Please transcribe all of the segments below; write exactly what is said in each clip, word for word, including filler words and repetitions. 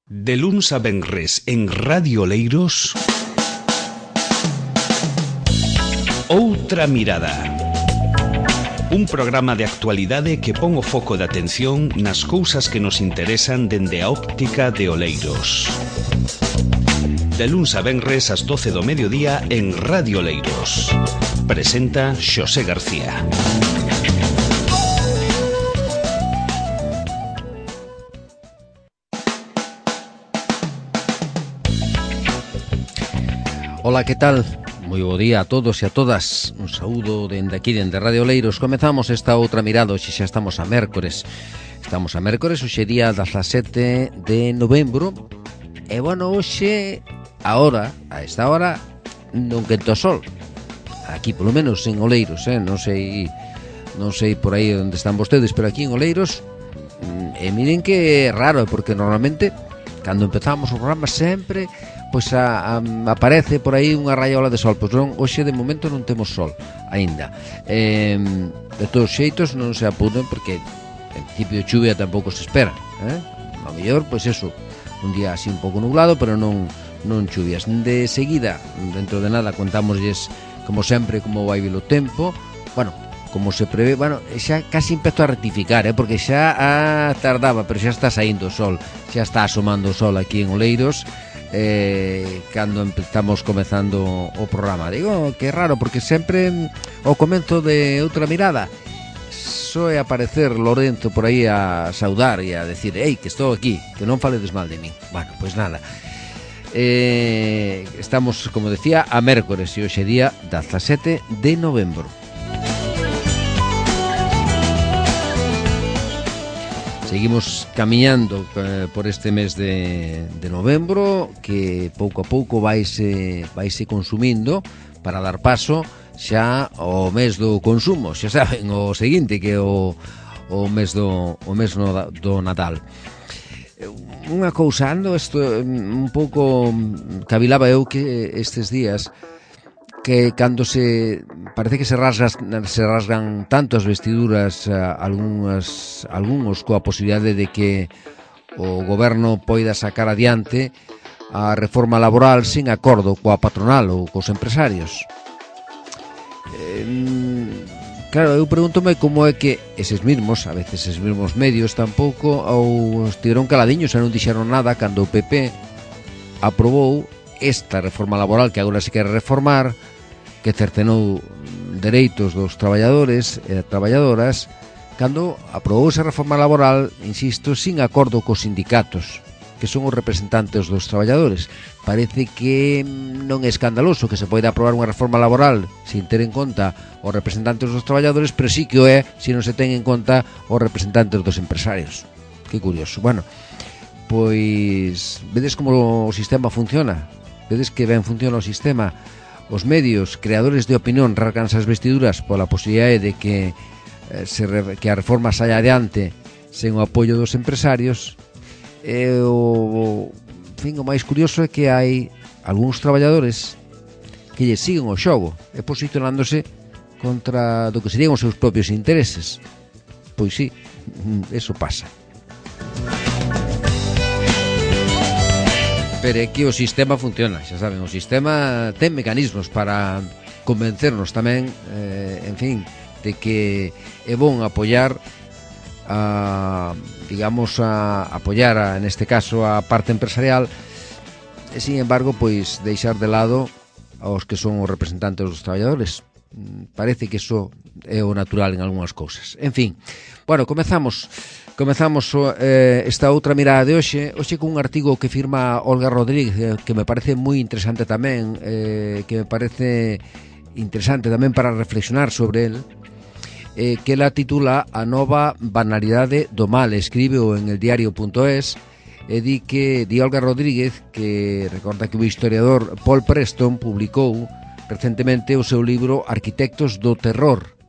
De luns a venres en Radio Oleiros, Outra Mirada. Un programa de actualidade que pon o foco de atención nas cousas que nos interesan dende a óptica de Oleiros. De luns a venres ás doce do mediodía en Radio Oleiros. Presenta Xosé García. Ola, que tal? Moi bo día a todos e a todas. Un saúdo dende aquí, dende Radio Oleiros. Comezamos esta outra mirada, hoxe xa estamos a mércores. Estamos a mércores, hoxe día dezasete de novembro. E bueno, hoxe, a hora, a esta hora, non quenta o sol. Aquí, polo menos, en Oleiros, eh? Non sei, non sei por aí onde están vostedes, pero aquí en Oleiros, e miren que é raro, porque normalmente, cando empezamos o programa, sempre... pois a, a, aparece por aí unha raiola de sol. Pois non, hoxe de momento non temos sol aínda. Eh, de todos xeitos non se apuden, porque en principio de chuvia tampouco se espera, eh? A mellor, pois eso, un día así un pouco nublado, pero non non chuvias. De seguida, dentro de nada, contámoslles como sempre como vai vir o tempo. Bueno, como se prevé, bueno, xa casi empezo a rectificar, eh, porque xa ah, tardaba, pero xa está saindo o sol, xa está asomando o sol aquí en Oleiros. Eh, cando estamos comezando o programa. Digo que é raro, porque sempre ao comenzo de Outra Mirada soe aparecer Lorenzo por aí a saudar e a decir: ei, que estou aquí, que non faledes mal de min. Bueno, pois nada, eh, estamos, como decía, a mércores e hoxe día dezasete de novembro. Seguimos camiñando eh, por este mes de, de novembro, que pouco a pouco vaise, vaise consumindo para dar paso xa ao mes do consumo. Xa saben, o seguinte, que é o, o mes do, o mes no, do Nadal. Unha cousa, ando isto un pouco, cavilaba eu que estes días, que cando se parece que se rasgan, se rasgan tanto as vestiduras, algunhas, algúns coa posibilidade de que o goberno poida sacar adiante a reforma laboral sin acordo coa patronal ou cos empresarios. Eh, claro, eu pregúntome como é que eses mesmos, a veces eses mesmos medios tampouco ou estiveron caladiños e non dixeron nada cando o P P aprobou esta reforma laboral que agora se quere reformar, que cercenou dereitos dos traballadores e traballadoras, cando aprobou esa reforma laboral, insisto, sin acordo cos sindicatos, que son os representantes dos traballadores. Parece que non é escandaloso que se poida aprobar unha reforma laboral sin ter en conta os representantes dos traballadores, pero sí que o é se non se ten en conta os representantes dos empresarios. Que curioso. Bueno, pois vedes como o sistema funciona, vedes que ben funciona o sistema. Os medios creadores de opinión rasgan as vestiduras pola posibilidade de que, eh, se re, que a reforma saia adiante sen o apoio dos empresarios. E o, en fin, o máis curioso é que hai algúns traballadores que lle siguen o xogo e posicionándose contra do que serían os seus propios intereses. Pois sí, eso pasa. Pero é que o sistema funciona, xa saben, o sistema ten mecanismos para convencernos tamén, eh, en fin, de que é bon apoiar a, digamos, a apoiar a, neste caso, a parte empresarial, e, sin embargo, pois deixar de lado aos que son os representantes dos traballadores. Parece que iso é o natural en algunhas cousas. En fin, bueno, comezamos comezamos eh, esta outra mirada de hoxe hoxe cun artigo que firma Olga Rodríguez, que me parece moi interesante tamén, eh, que me parece interesante tamén para reflexionar sobre el, eh, que la titula A nova banalidade do mal. Escribe en el diario punto es, e di que di Olga Rodríguez que recorda que o historiador Paul Preston publicou recentemente o seu libro Arquitectos do Terror,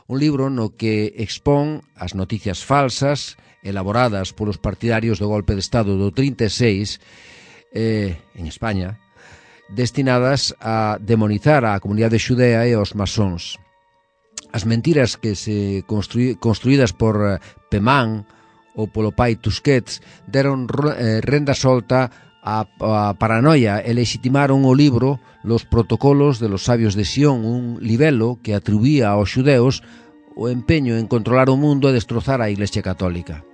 un libro no que expón as noticias falsas elaboradas polos partidarios do golpe de Estado do trinta e seis eh, en España, destinadas a demonizar a comunidade xudea e aos masóns. As mentiras que se construí, construídas por Peman ou polo pai Tusquets deron eh, renda solta a, a paranoia e legitimaron o libro Los protocolos de los sabios de Sion, un libelo que atribuía aos xudeos o empeño en controlar o mundo e destrozar a Iglesia Católica.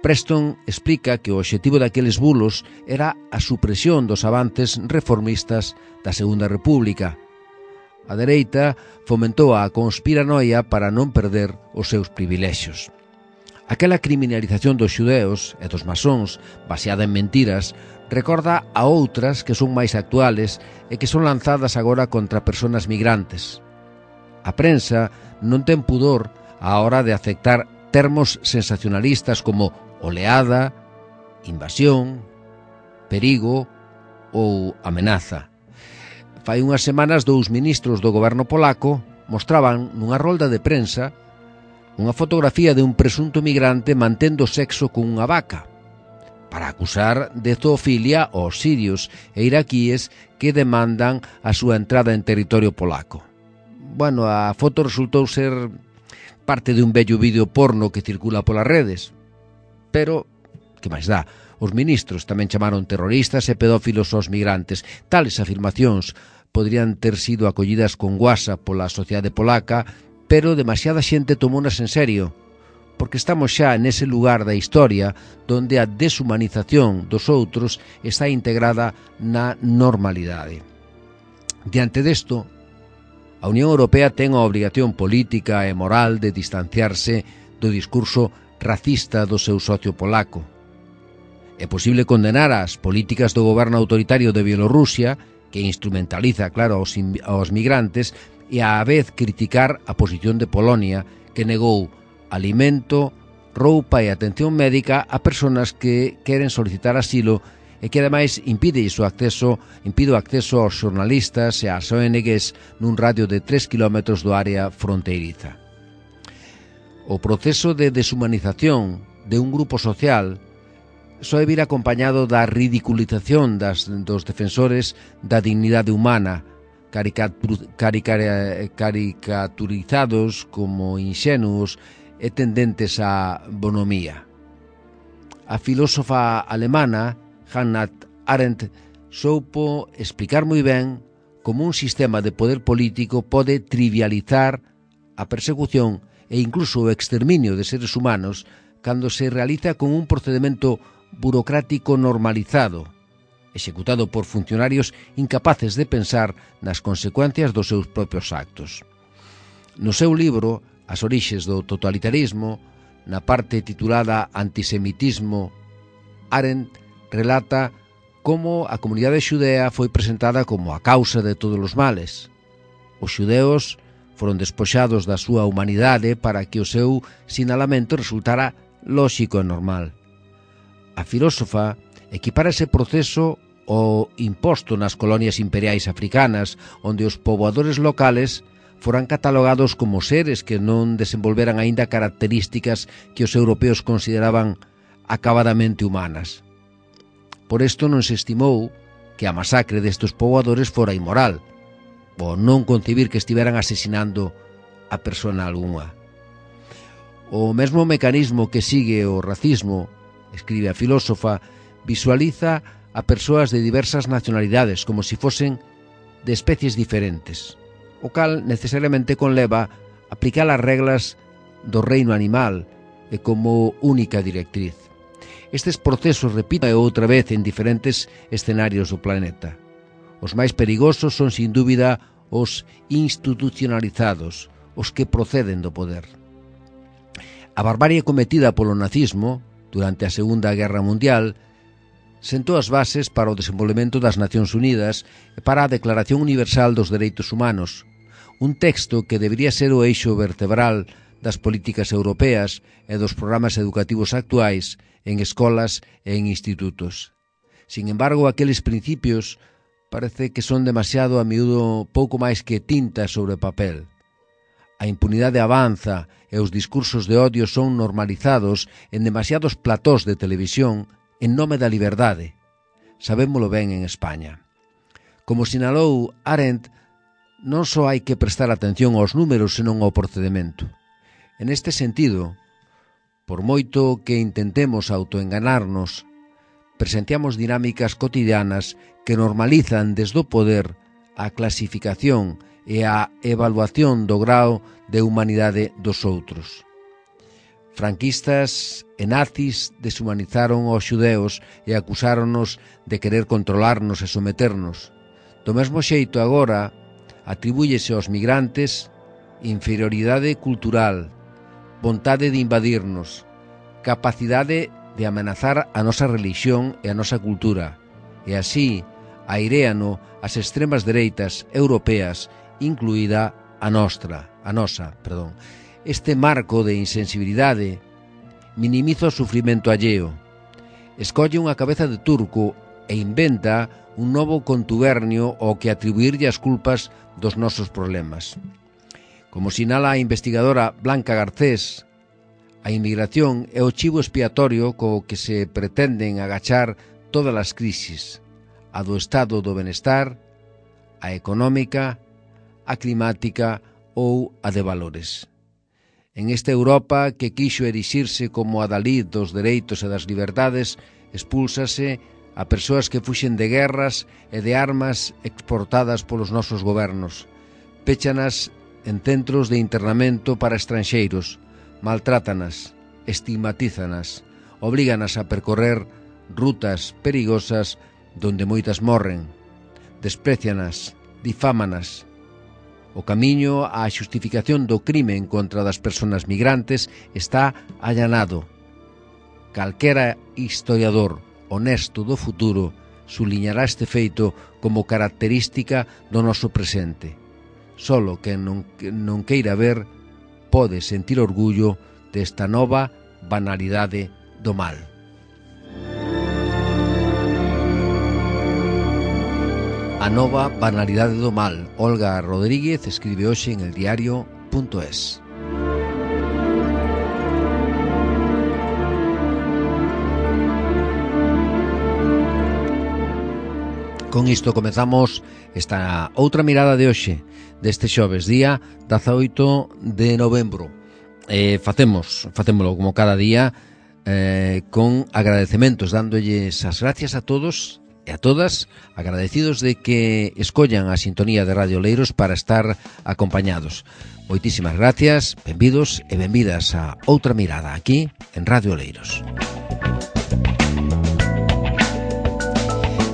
Preston explica que o obxectivo daqueles bulos era a supresión dos avances reformistas da Segunda República. A dereita fomentou a conspiranoia para non perder os seus privilexios. Aquela criminalización dos xudeos e dos masóns, baseada en mentiras, recorda a outras que son máis actuales e que son lanzadas agora contra persoas migrantes. A prensa non ten pudor á hora de aceptar termos sensacionalistas como oleada, invasión, perigo ou amenaza. Fai unhas semanas dous ministros do goberno polaco mostraban nunha rolda de prensa unha fotografía de un presunto migrante mantendo sexo con unha vaca para acusar de zoofilia aos sirios e iraquíes que demandan a súa entrada en territorio polaco. Bueno, a foto resultou ser parte de un bello vídeo porno que circula polas redes, pero, que máis dá, os ministros tamén chamaron terroristas e pedófilos aos migrantes. Tales afirmacións poderían ter sido acollidas con guasa pola sociedade polaca, pero demasiada xente tomounas en serio, porque estamos xa nese lugar da historia donde a deshumanización dos outros está integrada na normalidade. Diante desto, a Unión Europea ten a obrigación política e moral de distanciarse do discurso racista do seu socio polaco. É posible condenar as políticas do goberno autoritario de Bielorrusia, que instrumentaliza, claro, aos, aos migrantes, e á vez criticar a posición de Polonia, que negou alimento, roupa e atención médica a persoas que queren solicitar asilo e que ademais impide o acceso, impide o acceso aos xornalistas e ás O N Ges nun radio de tres kilómetros do área fronteiriza. O proceso de deshumanización de un grupo social soe vir acompañado da ridiculización das, dos defensores da dignidade humana, caricatur, carica, caricaturizados como inxenuos e tendentes á bonomía. A filósofa alemana Hannah Arendt soupo explicar moi ben como un sistema de poder político pode trivializar a persecución e incluso o exterminio de seres humanos cando se realiza con un procedimento burocrático normalizado, executado por funcionarios incapaces de pensar nas consecuencias dos seus propios actos. No seu libro As orixes do totalitarismo, na parte titulada Antisemitismo, Arendt relata como a comunidade xudea foi presentada como a causa de todos os males. Os xudeos foron despoxados da súa humanidade para que o seu sinalamento resultara lóxico e normal. A filósofa equipara ese proceso ao imposto nas colonias imperiais africanas, onde os poboadores locales foran catalogados como seres que non desenvolveran aínda características que os europeos consideraban acabadamente humanas. Por isto non se estimou que a masacre destes poboadores fora inmoral, ou non concebir que estiveran asesinando a persona algunha. O mesmo mecanismo que sigue o racismo, escribe a filósofa, visualiza a persoas de diversas nacionalidades como se fosen de especies diferentes, o cal necesariamente conleva aplicar as reglas do reino animal e como única directriz. Estes procesos repiten outra vez en diferentes escenarios do planeta. Os máis perigosos son, sin dúbida, os institucionalizados, os que proceden do poder. A barbarie cometida polo nazismo durante a Segunda Guerra Mundial sentou as bases para o desenvolvemento das Nacións Unidas e para a Declaración Universal dos Dereitos Humanos, un texto que debería ser o eixo vertebral das políticas europeas e dos programas educativos actuais en escolas e en institutos. Sin embargo, aqueles principios parece que son demasiado a miúdo pouco máis que tinta sobre papel. A impunidade avanza e os discursos de odio son normalizados en demasiados platós de televisión en nome da liberdade. Sabémolo ben en España. Como sinalou Arendt, non só hai que prestar atención aos números senón ao procedimento. En este sentido, por moito que intentemos autoenganarnos, presenciamos dinámicas cotidianas que normalizan desde o poder a clasificación e a evaluación do grao de humanidade dos outros. Franquistas e nazis deshumanizaron aos xudeus e acusáronos de querer controlarnos e someternos. Do mesmo xeito agora atribúyese aos migrantes inferioridade cultural, vontade de invadirnos, capacidade de amenazar a nosa religión e a nosa cultura, e así airéano as extremas dereitas europeas, incluída a nostra, a nosa, perdón. Este marco de insensibilidade minimiza o sufrimento alleo, escolle unha cabeza de turco e inventa un novo contubernio ao que atribuirlle as culpas dos nosos problemas. Como sinala a investigadora Blanca Garcés, a inmigración é o chivo expiatorio co que se pretenden agachar todas as crisis, a do estado do benestar, a económica, a climática ou a de valores. En esta Europa que quixo erixirse como a adalid dos dereitos e das liberdades, expúlsase a persoas que fuxen de guerras e de armas exportadas polos nosos gobernos. Péchanas en centros de internamento para estranxeiros, maltrátanas, estigmatízanas, oblíganas a percorrer rutas perigosas donde moitas morren, desprecianas, difámanas. O camiño á xustificación do crime en contra das persoas migrantes está allanado. Calquera historiador honesto do futuro suliñará este feito como característica do noso presente. Solo quen non, non queira ver pode sentir orgullo desta nova banalidade do mal. A nova banalidade do mal. Olga Rodríguez escribe hoxe en el diario punto es. Con isto comezamos esta outra mirada de hoxe, deste xoves, día dezaoito de novembro. Eh, facemos, facémolo como cada día, eh, con agradecementos, dándolles as gracias a todos e a todas, agradecidos de que escollan a sintonía de Radio Oleiros para estar acompañados. Moitísimas gracias, benvidos e benvidas a outra mirada aquí en Radio Oleiros.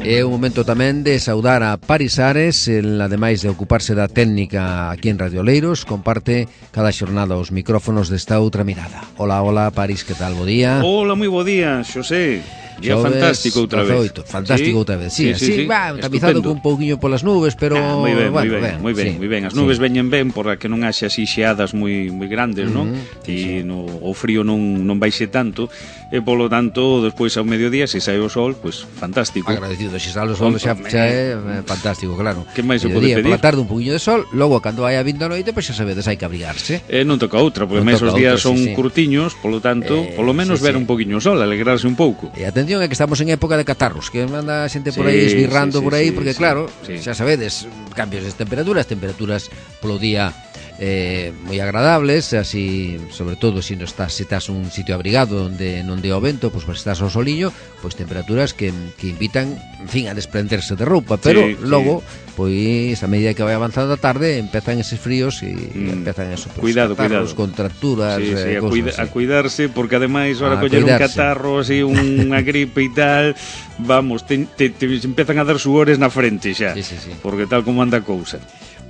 É o momento tamén de saudar a Paris Ares, el, ademais de ocuparse da técnica aquí en Radio Oleiros, comparte cada xornada os micrófonos desta outra mirada. Hola, hola, Paris, que tal? Bo día. Hola, moi bo día, Xosé. Día fantástico outra vez. Fantástico outra vez, sí, sí, sí, sí, va, tamizado con un pouquiño polas nubes, pero ah, moi ben, bueno, moi ben, moi ben, sí, moi ben. As nubes sí. veñen ben para que non haxe así xeadas moi moi grandes, non? Mm-hmm, e sí, sí. no o frío non non baixe tanto, e polo tanto, despois ao mediodía se sae o sol, pois fantástico. Agradecido, se sale o sol xa, xa é fantástico, claro. Que máis se pode pedir? Pola tarde un pouquiño de sol, logo cando vai a vindo a noite, pois xa sabedes, hai que abrigarse. Eh, non toca outra, porque non máis os días outra, son sí, sí. curtiños, polo tanto, eh, polo menos sí, ver sí. un poquinho o sol, alegrarse un pouco. E atención, é que estamos en época de catarros, que manda a xente por aí Sí, esbirrando sí, sí, por aí, sí, porque sí, claro, sí. xa sabedes, cambios de temperaturas, temperaturas polo día eh, moi agradables, así, sobre todo se non estás, se estás un sitio abrigado onde non dé o vento, pois pues, estás ao soliño, pois pues, temperaturas que, que invitan, en fin, a desprenderse de roupa, pero sí, logo, sí. pois a medida que vai avanzando a tarde, empezan eses fríos e mm. empezan eso, pues, cuidado, catarros, cuidado. contracturas, sí, sí, eh, a, cuida, así. a cuidarse, porque ademais ahora A coller un cuidarse. catarro, así, unha gripe e tal, vamos, te, te, te empezan a dar suores na frente xa, sí, sí, sí. porque tal como anda a cousa.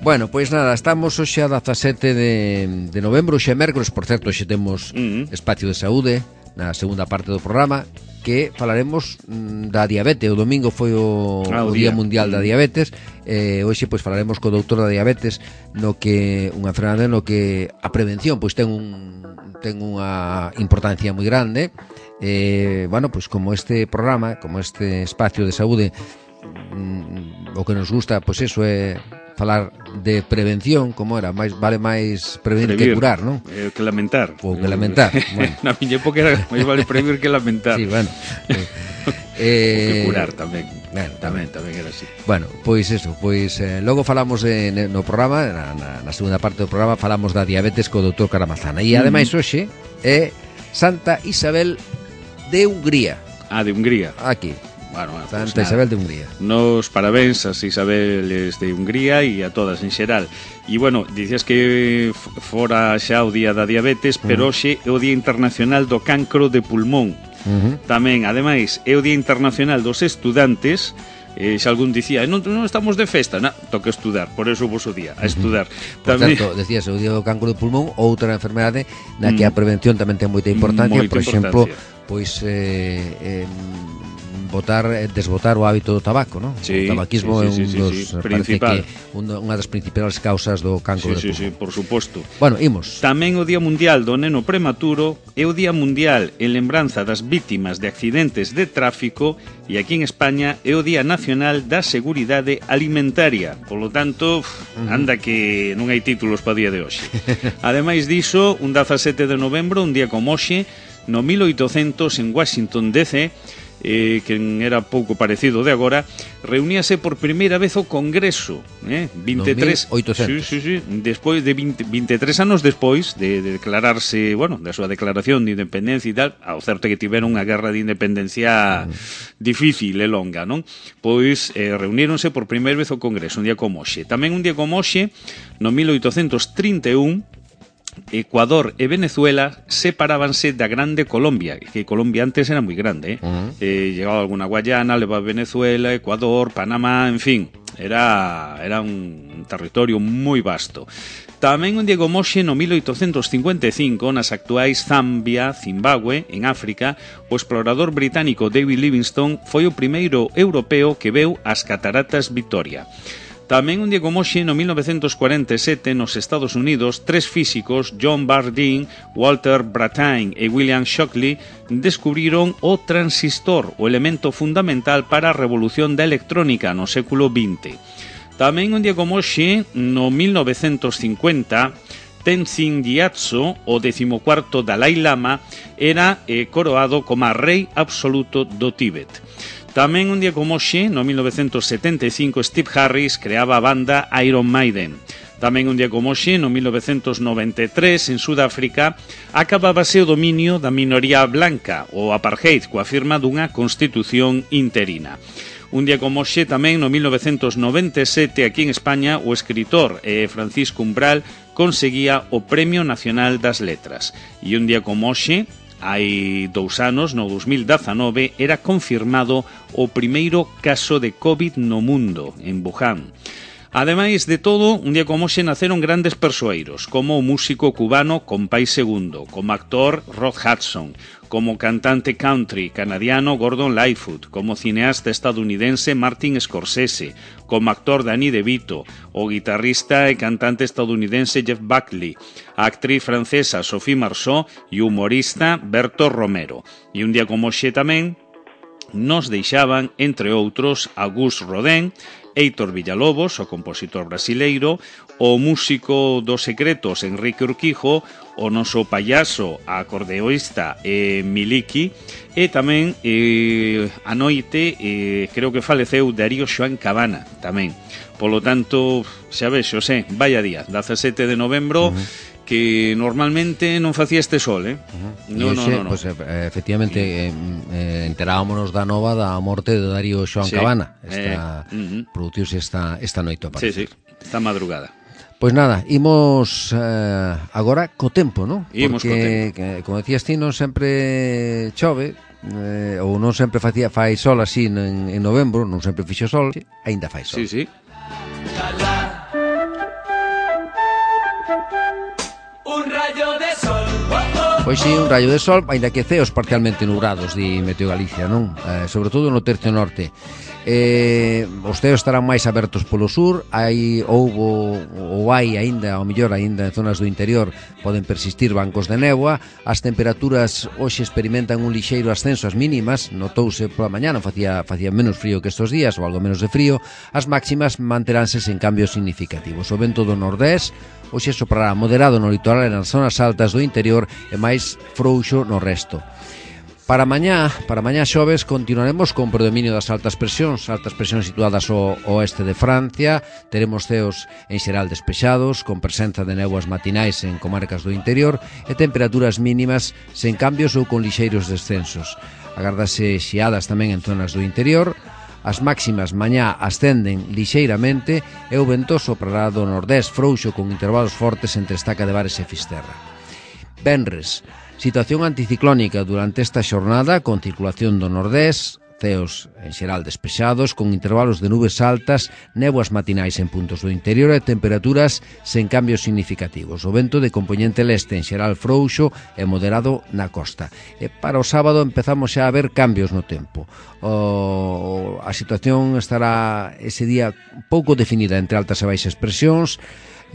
Bueno, pois nada, estamos hoxe a dezasete de, de novembro, hoxe é mércoles, por certo, hoxe temos Uh-huh. espacio de saúde na segunda parte do programa, que falaremos mm, da diabetes. O domingo foi o, ah, o, o Día día Mundial da Diabetes, eh, hoxe pois falaremos co doutor da diabetes, no que unha enfermedade no que a prevención pois ten un ten unha importancia moi grande. Eh, bueno, pois como este programa, como este espacio de saúde, mm, o que nos gusta, pois eso é falar de prevención, como era, máis vale máis prevenir que Previr, curar, non? Eh, que lamentar. Ou que lamentar. Bueno. Na miña época era máis vale prevenir que lamentar. Sí, bueno. Eh, eh, que curar tamén. Bueno, tamén, tamén era así. Bueno, pois eso, pois eh, logo falamos de, no programa, na, na, na segunda parte do programa falamos da diabetes co doutor Caramazana. E ademais hoxe é Santa Isabel de Hungría. Ah, de Hungría. Aquí. Bueno, bueno, Santa pues Isabel de Hungría. Nos parabéns ás Isabeles de Hungría e a todas en xeral. E, bueno, dicías que fora xa o día da diabetes, pero hoxe é o Día Internacional do Cancro de Pulmón. Uh-huh. Tamén, ademais, é o Día Internacional dos Estudantes. Eh, xa algún dicía, non, non estamos de festa, non, toca estudar, por eso vos o día, a estudar. Uh-huh. Por tamén... tanto, decías, o Día do Cancro de Pulmón, outra enfermedade na que a prevención tamén ten moita importancia, moita por exemplo, importancia. pois eh, eh, botar, desbotar o hábito do tabaco, non? Sí, o tabaquismo sí, sí, é un sí, dos, sí, sí. Principal. Que unha, unha das principais causas do cancro sí, de pulmón. Sí, sí, por suposto. Bueno, imos. Tamén o Día Mundial do Neno Prematuro é o Día Mundial en lembranza das vítimas de accidentes de tráfico e aquí en España é o Día Nacional da Seguridade Alimentaria. Por lo tanto, anda que non hai títulos para o día de hoxe. Ademais diso, un dezasete de novembro, un día como hoxe, no mil oitocentos en Washington D C, eh, que era pouco parecido de agora, reuníase por primeira vez o Congreso, eh? vinte e tres, no mil oitocentos. Sí, sí, sí, despois de vinte, vinte e tres anos despois de, de declararse, bueno, da súa declaración de independencia e tal, ao certo que tiveron unha guerra de independencia mm. difícil e longa, non? Pois eh, reuníronse por primeira vez o Congreso, un día como hoxe. Tamén un día como hoxe, no mil oitocentos trinta e un, Ecuador e Venezuela separábanse da grande Colombia, que Colombia antes era moi grande, eh? Uh-huh. eh, llegaba alguna Guayana, leva Venezuela, Ecuador, Panamá, en fin, era, era un territorio moi vasto. Tamén un día como hoxe, no mil oitocentos cincuenta e cinco, nas actuais Zambia, Zimbabue, en África, o explorador británico David Livingstone foi o primeiro europeo que veu as cataratas Victoria. Tamén un día como hoxe, no mil novecentos cuarenta e sete, nos Estados Unidos, tres físicos, John Bardeen, Walter Brattain e William Shockley, descubriron o transistor, o elemento fundamental para a revolución da electrónica no século vinte. Tamén un día como hoxe, no mil novecentos cincuenta, Tenzin Gyatso, o decimocuarto Dalai Lama, era eh, coroado como rei absoluto do Tíbet. Tamén un día como hoxe, no mil novecentos setenta e cinco, Steve Harris creaba a banda Iron Maiden. Tamén un día como hoxe, no mil novecentos noventa e tres, en Sudáfrica, acabábase o dominio da minoría blanca, o apartheid, coa firma dunha constitución interina. Un día como hoxe, tamén no mil novecentos noventa e sete, aquí en España, o escritor eh, Francisco Umbral conseguía o Premio Nacional das Letras. E un día como hoxe, hai dous anos, no dos mil dezanove, era confirmado o primeiro caso de COVID no mundo, en Wuhan. Ademais de todo, un día como hoxe naceron grandes persoeiros, como o músico cubano Compay Segundo, como actor Rod Hudson, como cantante country canadiano Gordon Lightfoot, como cineasta estadounidense Martin Scorsese, como actor Danny DeVito, o guitarrista e cantante estadounidense Jeff Buckley, a actriz francesa Sophie Marceau e o humorista Berto Romero. E un día como hoxe tamén nos deixaban, entre outros, Auguste Rodin, Heitor Villalobos, o compositor brasileiro, o músico dos secretos Enrique Urquijo, o noso payaso, a acordeoísta eh, Miliki, e tamén eh, a noite eh, creo que faleceu Darío Xoán Cabana tamén. Polo tanto, xa ves, Xosé, vaya día, dezasete de novembro, uh-huh. que normalmente non facía este sol, eh? Uh-huh. No, no, no, no. Pues, efectivamente, eh, eh, enterámonos da nova da morte de Darío Xoán sí. Cabana. Esta, eh, uh-huh. Produciuse esta, esta noite, sí, sí, esta madrugada. Pois nada, imos eh, agora co tempo, non? Imos co tempo. Que, como decías ti, non sempre chove, eh, ou non sempre facía fai sol así en, en novembro, non sempre fixo sol, sí, aínda fai sol. Sí, sí. Un rayo de sol. Pois sí, un rayo de sol, aínda que ceos parcialmente nubrados, di Meteo Galicia, non? Eh, sobre todo no tercio norte. Eh, os ceos estarán máis abertos polo sur, hai houbo ou hai aínda, ao mellor aínda en zonas do interior poden persistir bancos de néboa. As temperaturas hoxe experimentan un lixeiro ascenso ás mínimas, notouse pola mañá, non facía, facía menos frío que estos días, ou algo menos de frío. As máximas manteránse sen cambios significativos. O vento do nordés hoxe soprará moderado no litoral e nas zonas altas do interior e máis frouxo no resto. Para mañá, para mañá xoves, continuaremos con predominio das altas presións, altas presións situadas ao oeste de Francia. Teremos ceos en xeral despexados, con presenza de néboas matinais en comarcas do interior e temperaturas mínimas sen cambios ou con lixeiros descensos. Agárdase xiadas tamén en zonas do interior. As máximas mañá ascenden lixeiramente e o vento soprará do nordés frouxo con intervalos fortes entre Estaca de Bares e Fisterra. Venres, situación anticiclónica durante esta xornada con circulación do nordés, ceos en xeral despexados, con intervalos de nubes altas, néboas matinais en puntos do interior e temperaturas sen cambios significativos. O vento de compoñente leste en xeral frouxo e moderado na costa. E para o sábado empezamos xa a ver cambios no tempo. O, a situación estará ese día pouco definida entre altas e baixas presións,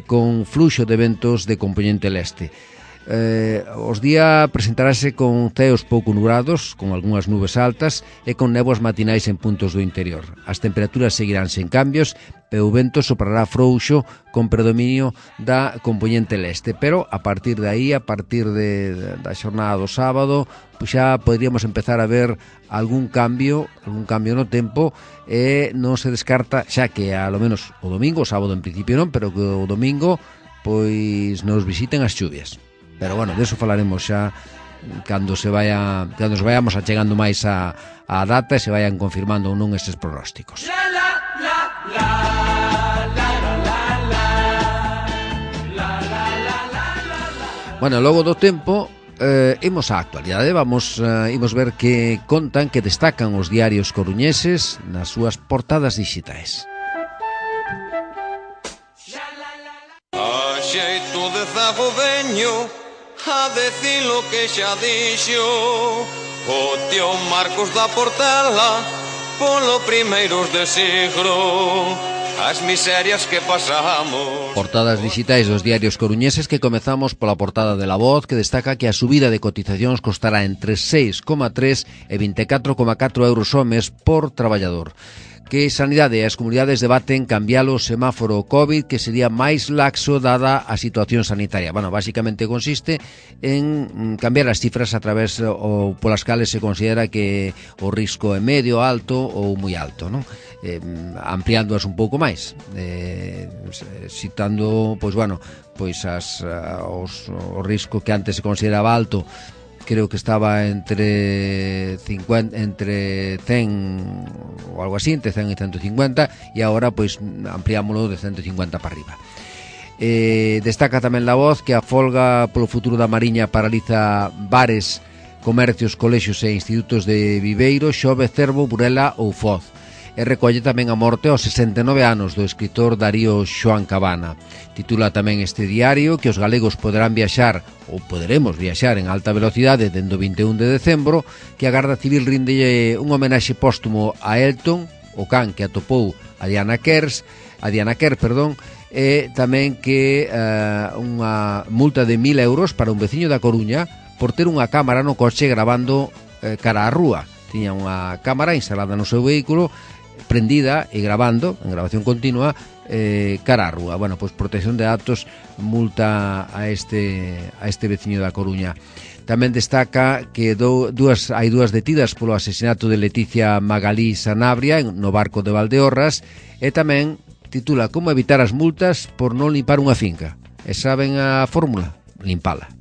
con fluxo de ventos de compoñente leste. Eh, os día presentarase con ceos pouco nubrados, con algunhas nubes altas e con néboas matinais en puntos do interior. As temperaturas seguirán sen cambios e o vento soprará frouxo con predominio da compoñente leste, pero a partir de aí, a partir de, da xornada do sábado, pues xa poderíamos empezar a ver algún cambio, algún cambio no tempo, e non se descarta, xa que a lo menos o domingo, o sábado en principio non, pero que o domingo pois nos visiten as chuvias. Pero bueno, de eso falaremos xa cando se vaya, cando se vayamos achegando máis a, a data e se vayan confirmando ou non estes pronósticos. La, la, la, la, la, la, la, la, la, la, la. Bueno, logo do tempo eh, imos á actualidade. Vamos eh, imos ver que contan, que destacan os diarios coruñeses nas súas portadas digitais. A xeito de zago veño a decir lo que xa dixo o tío Marcos da Portela polo primeiros de siglo, as miserias que pasamos. Portadas digitais dos diarios coruñeses, que comezamos pola portada de La Voz, que destaca que a subida de cotizacións costará entre seis coma tres e vinte e catro coma catro euros ao mes por traballador. Que Sanidade e as comunidades debaten cambiar o semáforo COVID, que sería máis laxo dada a situación sanitaria. Bueno, basicamente consiste en cambiar as cifras a través ou polas cales se considera que o risco é medio, alto ou moi alto, non? Eh, ampliándoas un pouco máis, eh, citando, pois bueno, pois as, os, o risco que antes se consideraba alto, creo que estaba entre cincuenta, entre cen ou algo así, entre cen e ciento cincuenta, e agora pois ampliámoslo de ciento cincuenta para arriba. Eh, destaca tamén La Voz que a folga polo futuro da Mariña paraliza bares, comercios, colexios e institutos de Viveiro, Xove, Cervo, Burela ou Foz. E recolle tamén a morte aos sesenta e nove anos do escritor Darío Xoán Cabana. Titula tamén este diario que os galegos poderán viaxar, ou poderemos viaxar en alta velocidade dende o vinte e un de decembro, que a Garda Civil rinde un homenaxe póstumo a Elton, o can que atopou a Diana Kers, a Diana Kerr, perdón, e tamén que uh, unha multa de mil euros para un veciño da Coruña por ter unha cámara no coche gravando uh, cara á rúa. Tiña unha cámara instalada no seu vehículo, prendida e grabando, en grabación continua, eh, cara á rúa. Bueno, pois protección de datos, multa a este a este veciño da Coruña. Tamén destaca que do, dúas, hai dúas detidas polo asesinato de Leticia Magalí Sanabria no barco de Valdeorras, e tamén titula Como evitar as multas por non limpar unha finca. E saben a fórmula? Limpala.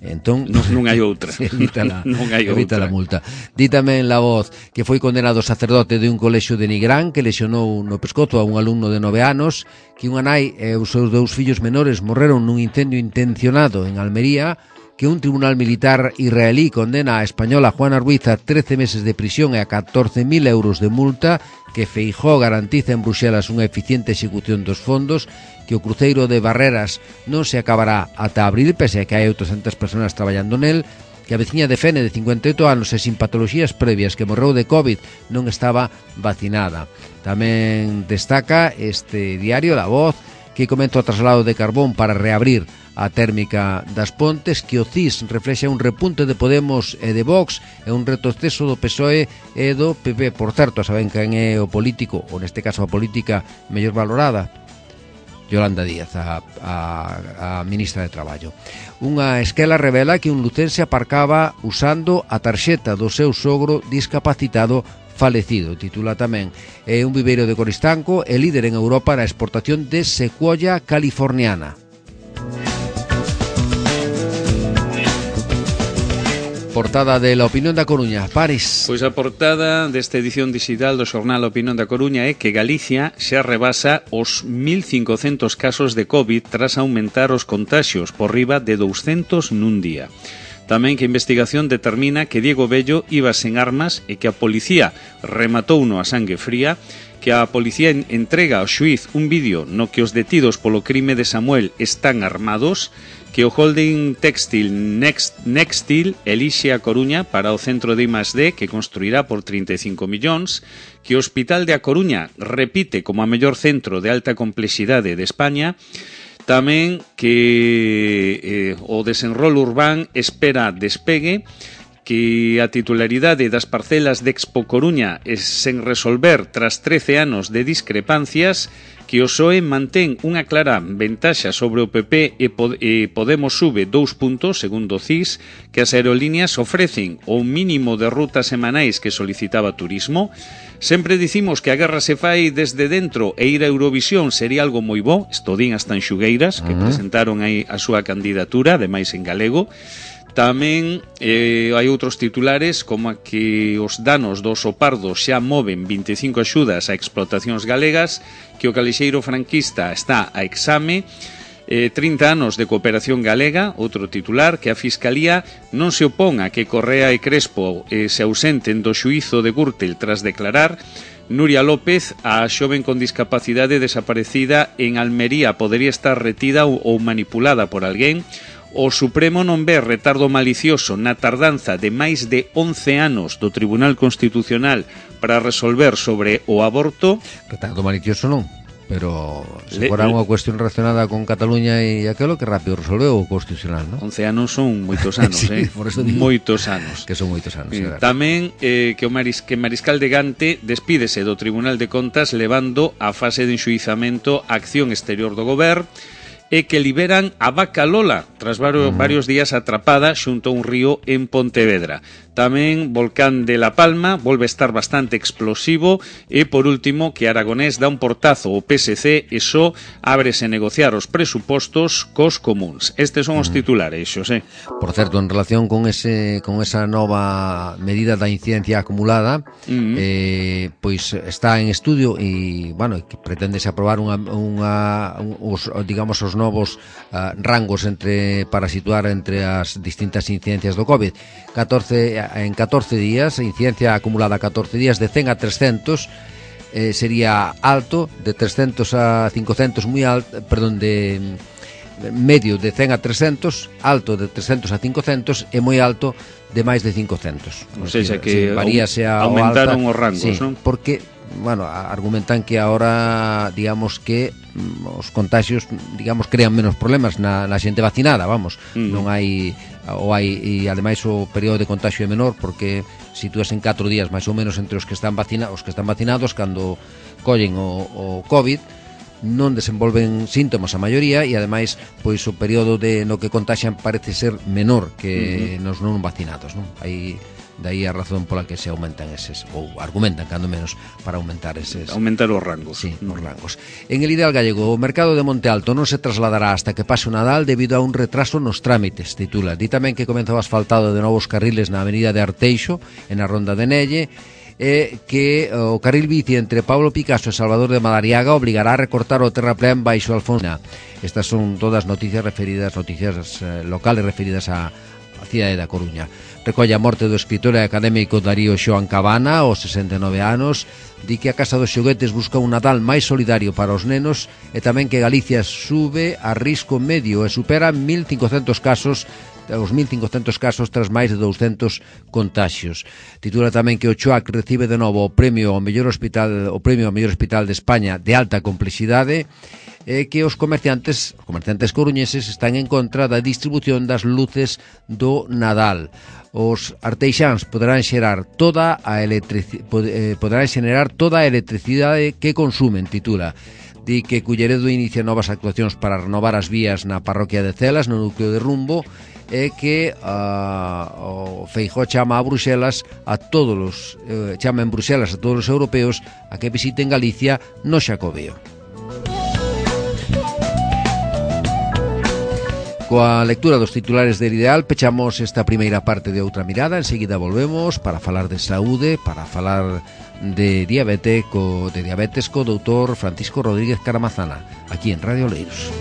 Entón, non, non hai outra. Evita la, non hai evita outra. la multa. Di tamén La Voz que foi condenado sacerdote de un colexio de Nigrán que lesionou no pescozo a un alumno de nove anos, que unha nai e os seus dous fillos menores morreron nun incendio intencionado en Almería, que un tribunal militar israelí condena a española Juana Ruiz a trece meses de prisión e a catorce mil euros de multa, que Feijóo garantiza en Bruxelas unha eficiente execución dos fondos, que o cruceiro de Barreras non se acabará ata abril, pese a que hai oitocentas persoas traballando nel, que a veciña de Fene de cincuenta e oito anos e sin patologías previas que morreu de COVID non estaba vacinada. Tamén destaca este diario La Voz que comenta o traslado de carbón para reabrir a térmica das Pontes, que o C I S reflexa un repunte de Podemos e de Vox e un retroceso do P S O E e do P P. Por certo, saben quen é o político, ou neste caso a política mellor valorada? Yolanda Díaz, a, a, a ministra de Traballo. Unha esquela revela que un lucense aparcaba usando a tarxeta do seu sogro discapacitado falecido. Titula tamén. É un viveiro de Coristanco e líder en Europa na exportación de secuoya californiana. Portada de La Opinión da Coruña, Paris. Pois a portada desta edición digital do xornal A Opinión da Coruña é que Galicia xa rebasa os mil cincocentos casos de COVID tras aumentar os contaxios por riba de douscentos nun día. Tamén que a investigación determina que Diego Bello iba sen armas e que a policía rematouno a sangue fría, que a policía entrega ao xuiz un vídeo no que os detidos polo crime de Samuel están armados, que o holding textil Next, Nextil elixe a Coruña para o centro de I más D que construirá por trinta e cinco millóns, que o Hospital de A Coruña repite como a mellor centro de alta complexidade de España, tamén que eh, o desenrolo urbán espera despegue, que a titularidade das parcelas de Expo Coruña é sen resolver tras trece anos de discrepancias, que o P S O E mantén unha clara ventaxa sobre o P P e Podemos sube dous puntos, segundo o C I S, que as aerolíneas ofrecen o mínimo de rutas semanais que solicitaba Turismo. Sempre dicimos que a guerra se fai desde dentro e ir a Eurovisión sería algo moi bo, isto din as tanxugueiras, que uh-huh. presentaron aí a súa candidatura, ademais en galego. Tamén eh, hai outros titulares como a que os danos do oso pardo xa moven vinte e cinco axudas a explotacións galegas, que o calexeiro franquista está a exame, eh, trinta anos de cooperación galega, outro titular, que a Fiscalía non se opón a que Correa e Crespo eh, se ausenten do xuízo de Gürtel tras declarar. Nuria López, a xoven con discapacidade desaparecida en Almería, podería estar retida ou, ou manipulada por alguén. O Supremo non ve retardo malicioso na tardanza de máis de once anos do Tribunal Constitucional para resolver sobre o aborto. Retardo malicioso non, pero se fora unha cuestión relacionada con Cataluña e aquelo, que rápido resolveu o Constitucional, non? once anos son moitos anos, sí, eh? Por eso digo moitos anos. Que son moitos anos, eh, Tamén eh, que o Maris, que Mariscal de Gante despídese do Tribunal de Contas levando a fase de enxuizamento a acción exterior do Goberno, e que liberan a vaca Lola tras varios, uh-huh. varios días atrapada xunto a un río en Pontevedra. Tamén Volcán de La Palma volve a estar bastante explosivo e, por último, que Aragonés dá un portazo ao P S C e só ábrese negociar os presupostos cos comuns. Estes son os titulares, Xosé. Por certo, en relación con ese con esa nova medida da incidencia acumulada, uh-huh. eh, pois está en estudio e, bueno, que preténdese aprobar unha, unha os, digamos, os novos uh, rangos entre para situar entre as distintas incidencias do COVID. catorce en catorce días, incidencia acumulada catorce días de cen a trescentos, eh, sería alto, de trescentos a cincocentos moi alto, perdón, de medio de cen a trescentos, alto de trescentos a cincocentos e moi alto de máis de cincocentos. O sea, que varíase a aumentaron alta, os rangos, sí, non? Porque bueno, argumentan que ahora, digamos que os contagios, digamos, crean menos problemas na, na xente vacinada, vamos, mm. non hai ou hai, e ademais o período de contagio é menor porque sitúas en catro días máis ou menos entre os que están vacinados, os que están vacinados cando collen o, o COVID non desenvolven síntomas a maioría e ademais pois o período de no que contaxian parece ser menor que mm-hmm. nos non vacinados, non? Hai daí a razón pola que se aumentan eses, ou argumentan, cando menos, para aumentar eses... Aumentar os rangos. Sí, mm. os rangos. En el ideal gallego, o mercado de Monte Alto non se trasladará hasta que pase o Nadal debido a un retraso nos trámites, titula. Di tamén que comezou asfaltado de novos carriles na avenida de Arteixo, en a Ronda de Nelle, e que o carril bici entre Pablo Picasso e Salvador de Madariaga obligará a recortar o terraplén baixo Alfonsina. Estas son todas noticias referidas, noticias eh, locales referidas a a cidade da Coruña. Recolle a morte do escritor e académico Darío Xoán Cabana, aos sesenta e nove anos, di que a Casa dos Xoguetes busca un Nadal máis solidario para os nenos e tamén que Galicia sube a risco medio e supera mil cincocentos casos os mil cincocentos casos tras máis de douscentos contaxios. Titula tamén que o Choac recibe de novo o premio ao mellor hospital, o premio ao mellor hospital de España de alta complexidade, e que os comerciantes, os comerciantes coruñeses están en contra da distribución das luces do Nadal. Os arteixáns poderán xerar toda a electricidade, poderán xenerar toda a electricidade que consumen, titula. di que Culleredo inicia novas actuacións para renovar as vías na parroquia de Celas, no núcleo de Rumbo, e que uh, o Feijóo chama a Bruxelas a todos os, eh, chama en Bruxelas a todos os europeos a que visiten Galicia no Xacobeo. Coa lectura dos titulares del Ideal pechamos esta primeira parte de Outra Mirada. Enseguida volvemos para falar de saúde, para falar de diabetes co, de diabetes co doutor Francisco Rodríguez Caramazana, aquí en Radio Oleiros.